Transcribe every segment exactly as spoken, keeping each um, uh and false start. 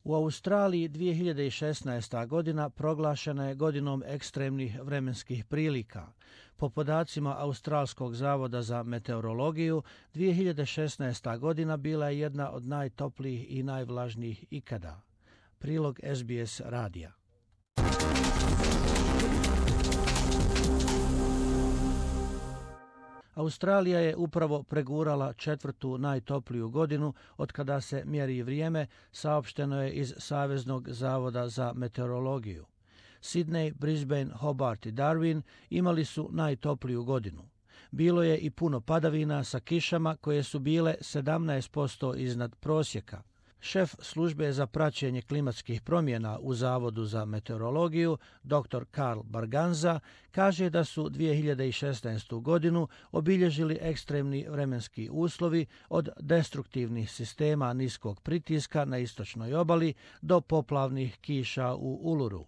U Australiji dvije hiljade šesnaesta. godina proglašena je godinom ekstremnih vremenskih prilika. Po podacima Australskog zavoda za meteorologiju, dvije hiljade šesnaesta. godina bila je jedna od najtoplijih i najvlažnijih ikada. Prilog S B S radija. Australija je upravo pregurala četvrtu najtopliju godinu od kada se mjeri vrijeme, saopšteno je iz Saveznog zavoda za meteorologiju. Sydney, Brisbane, Hobart i Darwin imali su najtopliju godinu. Bilo je i puno padavina sa kišama koje su bile sedamnaest posto iznad prosjeka. Šef službe za praćenje klimatskih promjena u Zavodu za meteorologiju, doktor Karl Barganza, kaže da su dvije hiljade šesnaestu. godinu obilježili ekstremni vremenski uslovi od destruktivnih sistema niskog pritiska na istočnoj obali do poplavnih kiša u Uluru.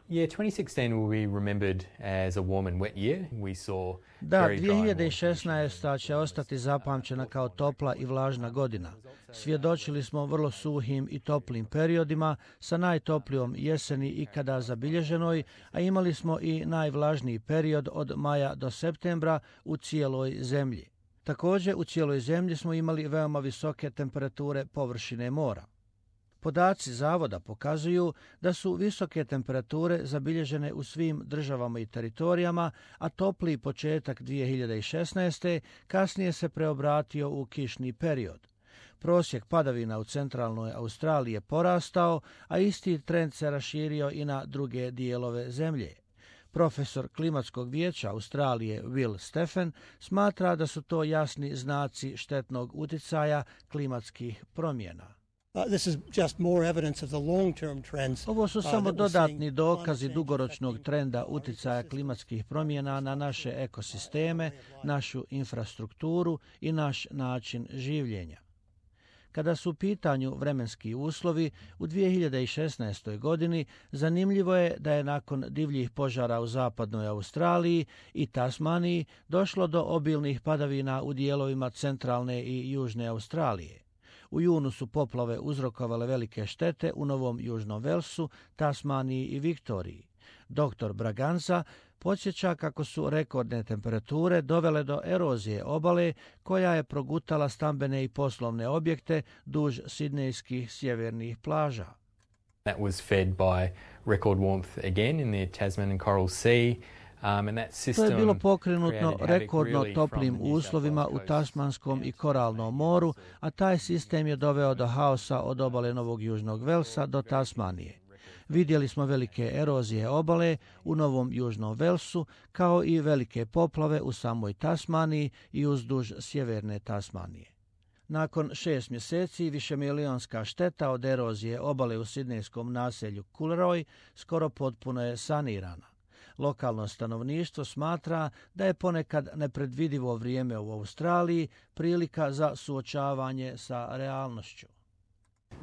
Yeah, twenty sixteen will be remembered as a warm and wet year. We saw Da, dvije hiljade šesnaesta. će ostati zapamćena kao topla i vlažna godina. Svjedočili smo vrlo suhim i toplim periodima sa najtoplijom jeseni ikada zabilježenoj, a imali smo i najvlažniji period od maja do septembra u cijeloj zemlji. Također, u cijeloj zemlji smo imali veoma visoke temperature površine mora. Podaci zavoda pokazuju da su visoke temperature zabilježene u svim državama i teritorijama, a topli početak dvije hiljade šesnaeste. kasnije se preobratio u kišni period. Prosjek padavina u centralnoj Australiji je porastao, a isti trend se raširio i na druge dijelove zemlje. Profesor klimatskog vijeća Australije Will Steffen smatra da su to jasni znaci štetnog utjecaja klimatskih promjena. Uh, this is just more evidence of the long-term trends. Ovo su uh, samo that we're dodatni seeing dokazi climate dugoročnog change trenda affecting our utjecaja ecosystems. klimatskih promjena na naše ekosisteme, našu infrastrukturu i naš način življenja. Kada su u pitanju vremenski uslovi, u dvije hiljade šesnaestoj. godini zanimljivo je da je nakon divljih požara u zapadnoj Australiji i Tasmaniji došlo do obilnih padavina u dijelovima centralne i južne Australije. U junu su poplave uzrokovale velike štete u Novom Južnom Velsu, Tasmaniji i Viktoriji. Doktor Braganza podsjeća kako su rekordne temperature dovele do erozije obale koja je progutala stambene i poslovne objekte duž sidnejskih sjevernih plaža. That was fed by record warmth again in the Tasman and Coral Sea. Um, and that system To je bilo pokrenutno created havoc rekordno really toplim from the New South uslovima Wales u coast Tasmanskom i down to Koralnom moru, a taj sistem je doveo do haosa od obale Novog Južnog Velsa do Tasmanije. Vidjeli smo velike erozije obale u Novom Južnom Velsu, kao i velike poplave u samoj Tasmaniji i uzduž sjeverne Tasmanije. Nakon šest mjeseci višemilionska šteta od erozije obale u sidnejskom naselju Coolroy skoro potpuno je sanirana. Lokalno stanovništvo smatra da je ponekad nepredvidivo vrijeme u Australiji prilika za suočavanje sa realnošću.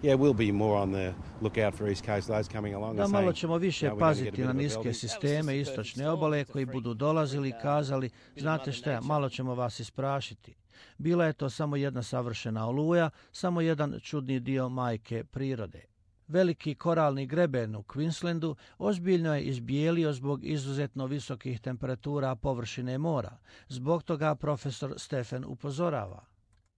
Yeah, we'll be more on the lookout for East Coast those coming along. Da and malo saying, ćemo više "No, we're gonna get a paziti bit na of a niske belting." sisteme istočne obale koji budu dolazili i kazali, znate šta, malo ćemo vas isprašiti. Bila je to samo jedna savršena oluja, samo jedan čudni dio majke prirode. Veliki koralni greben u Queenslandu ozbiljno je izbijelio zbog izuzetno visokih temperatura površine mora. Zbog toga profesor Steffen upozorava.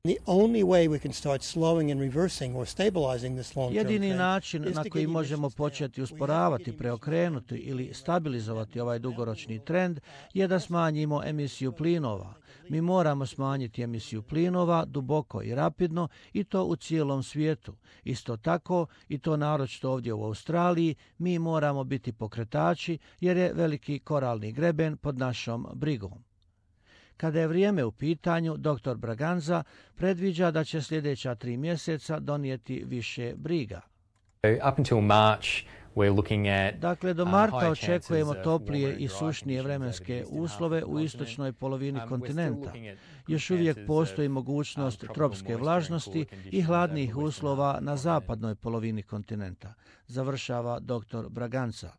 The only way we can start slowing and reversing or stabilizing this long-term Jedini trend način is na to koji get možemo emissions početi down. We have to usporavati, get preokrenuti emissions ili down. stabilizovati ovaj dugoročni trend je da smanjimo emisiju plinova. Mi moramo smanjiti emisiju plinova duboko i rapidno i to u cijelom svijetu. Isto tako, i to naročito ovdje u Australiji, mi moramo biti pokretači jer je veliki koralni greben pod našom brigom. Kada je vrijeme u pitanju, doktor Braganza predviđa da će sljedeća tri mjeseca donijeti više briga. Up until March, we're looking at Dakle, do um, marta higher očekujemo chances of toplije warmer and i drier sušnije conditions vremenske over the eastern half of uslove the u continent. istočnoj polovini Um, we're still kontinenta. looking at good Još uvijek chances postoji of, mogućnost um, tropical tropske moisture and vlažnosti cooler i conditions hladnih over the western uslova half of the na continent. zapadnoj polovini kontinenta, završava doktor Braganza.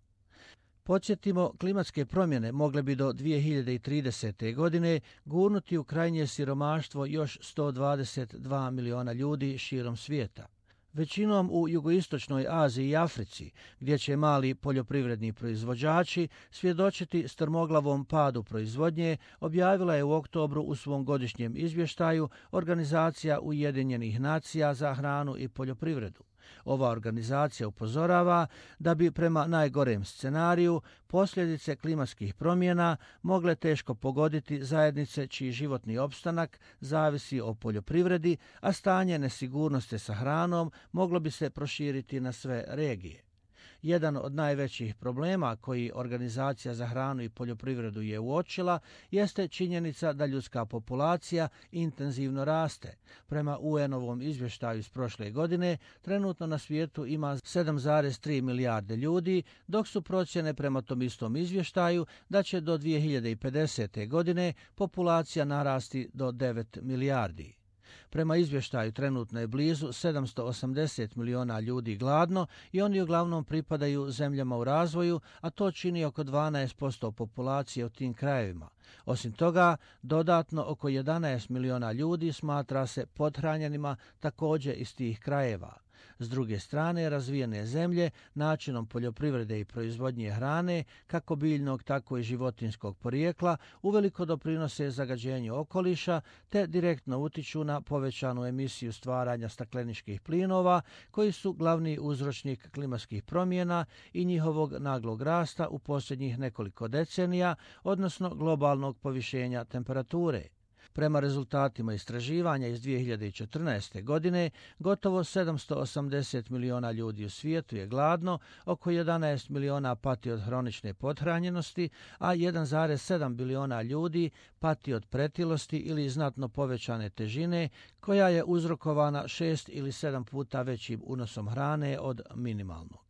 Podsjetimo, klimatske promjene mogle bi do dvije hiljade tridesete. godine gurnuti u krajnje siromaštvo još sto dvadeset dva miliona ljudi širom svijeta. Većinom u jugoistočnoj Aziji i Africi, gdje će mali poljoprivredni proizvođači svjedočiti strmoglavom padu proizvodnje, objavila je u oktobru u svom godišnjem izvještaju Organizacija Ujedinjenih nacija za hranu i poljoprivredu. Ova organizacija upozorava da bi prema najgorem scenariju posljedice klimatskih promjena mogle teško pogoditi zajednice čiji životni opstanak zavisi o poljoprivredi, a stanje nesigurnosti sa hranom moglo bi se proširiti na sve regije. Jedan od najvećih problema koji Organizacija za hranu i poljoprivredu je uočila jeste činjenica da ljudska populacija intenzivno raste. Prema U N-ovom izvještaju iz prošle godine, trenutno na svijetu ima sedam zarez tri milijarde ljudi, dok su procjene prema tom istom izvještaju da će do dvije hiljade pedesete. godine populacija narasti do devet milijardi. Prema izvještaju trenutno je blizu sedamsto osamdeset miliona ljudi gladno i oni uglavnom pripadaju zemljama u razvoju, a to čini oko dvanaest posto populacije u tim krajevima. Osim toga, dodatno oko jedanaest miliona ljudi smatra se pothranjenima također iz tih krajeva. S druge strane, razvijene zemlje načinom poljoprivrede i proizvodnje hrane, kako biljnog tako i životinjskog porijekla, uveliko doprinose zagađenju okoliša te direktno utiču na povećanu emisiju stvaranja stakleničkih plinova, koji su glavni uzročnik klimatskih promjena i njihovog naglog rasta u posljednjih nekoliko decenija, odnosno globalnog povišenja temperature. Prema rezultatima istraživanja iz dvije hiljade četrnaeste. godine, gotovo sedamsto osamdeset miliona ljudi u svijetu je gladno, oko jedanaest miliona pati od hronične pothranjenosti, a jedan zarez sedam biliona ljudi pati od pretilosti ili znatno povećane težine, koja je uzrokovana šest ili sedam puta većim unosom hrane od minimalnog.